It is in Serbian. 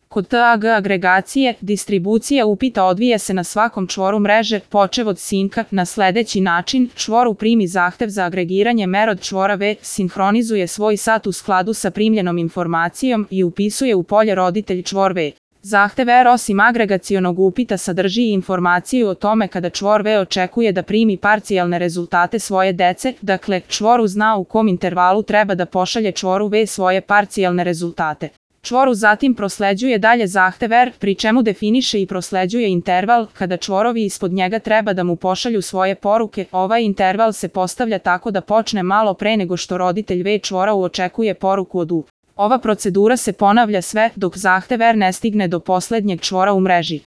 Kod TAG agregacije, distribucija upita odvija se na svakom čvoru mreže, počev od sinka, na sledeći način: čvoru primi zahtev za agregiranje merod čvora V, sinhronizuje svoj sat u skladu sa primljenom informacijom i upisuje u polje roditelj čvor V. Zahtev R osim agregacionog upita sadrži i informaciju o tome kada čvor V očekuje da primi parcijalne rezultate svoje dece, dakle, čvoru zna u kom intervalu treba da pošalje čvoru V svoje parcijalne rezultate. Čvoru zatim prosleđuje dalje zahtev R, pri čemu definiše i prosleđuje interval kada čvorovi ispod njega treba da mu pošalju svoje poruke. Ovaj interval se postavlja tako da počne malo pre nego što roditelj V čvora očekuje poruku od U. Ova procedura se ponavlja sve dok zahtev R ne stigne do poslednjeg čvora u mreži.